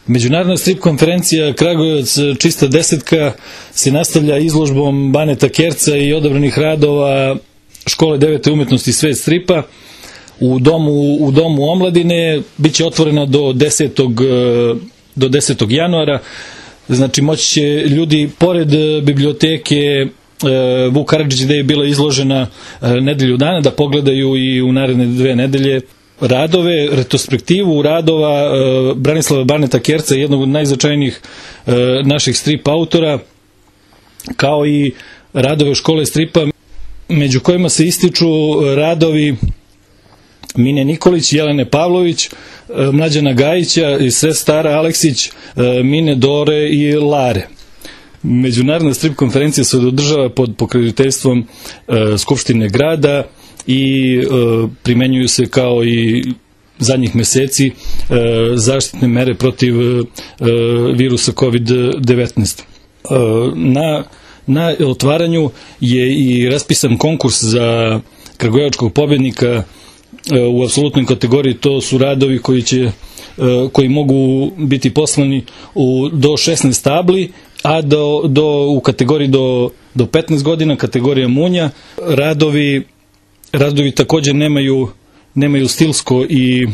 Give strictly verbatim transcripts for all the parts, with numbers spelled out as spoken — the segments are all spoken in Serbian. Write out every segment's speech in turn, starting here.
Međunarodna strip konferencija Kragujevac čista desetka se nastavlja izložbom Baneta Kerca i odabranih radova škole devete umetnosti Svet stripa u domu, u domu omladine. Biće otvorena do desetog do desetog januara. Znači moći će ljudi pored biblioteke Vuk Karadžić gde je bila izložena nedelju dana da pogledaju i u naredne dve nedelje radove, retrospektivu radova Branislava Baneta Kerca, jednog od najznačajnijih naših strip autora, kao i radove škole stripa, među kojima se ističu radovi Mine Nikolić, Jelene Pavlović, Mlađana Gajića i sestara Aleksić, Mine Dore i Lare. Međunarodna strip konferencija se održava pod pokroviteljstvom Skupštine grada i primenjuju se kao i zadnjih meseci zaštitne mere protiv virusa kovid devetnaest. Na, na otvaranju je i raspisan konkurs za kragujevačkog pobednika u apsolutnoj kategoriji. To su radovi koji će koji mogu biti poslani u, do šesnaest tabli, a do, do, u kategoriji do, do petnaest godina, kategorija munja. Radovi, radovi također nemaju, nemaju stilsko i,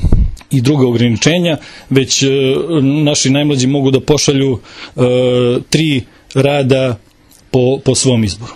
i druga ograničenja, već e, naši najmlađi mogu da pošalju e, tri rada po, po svom izboru.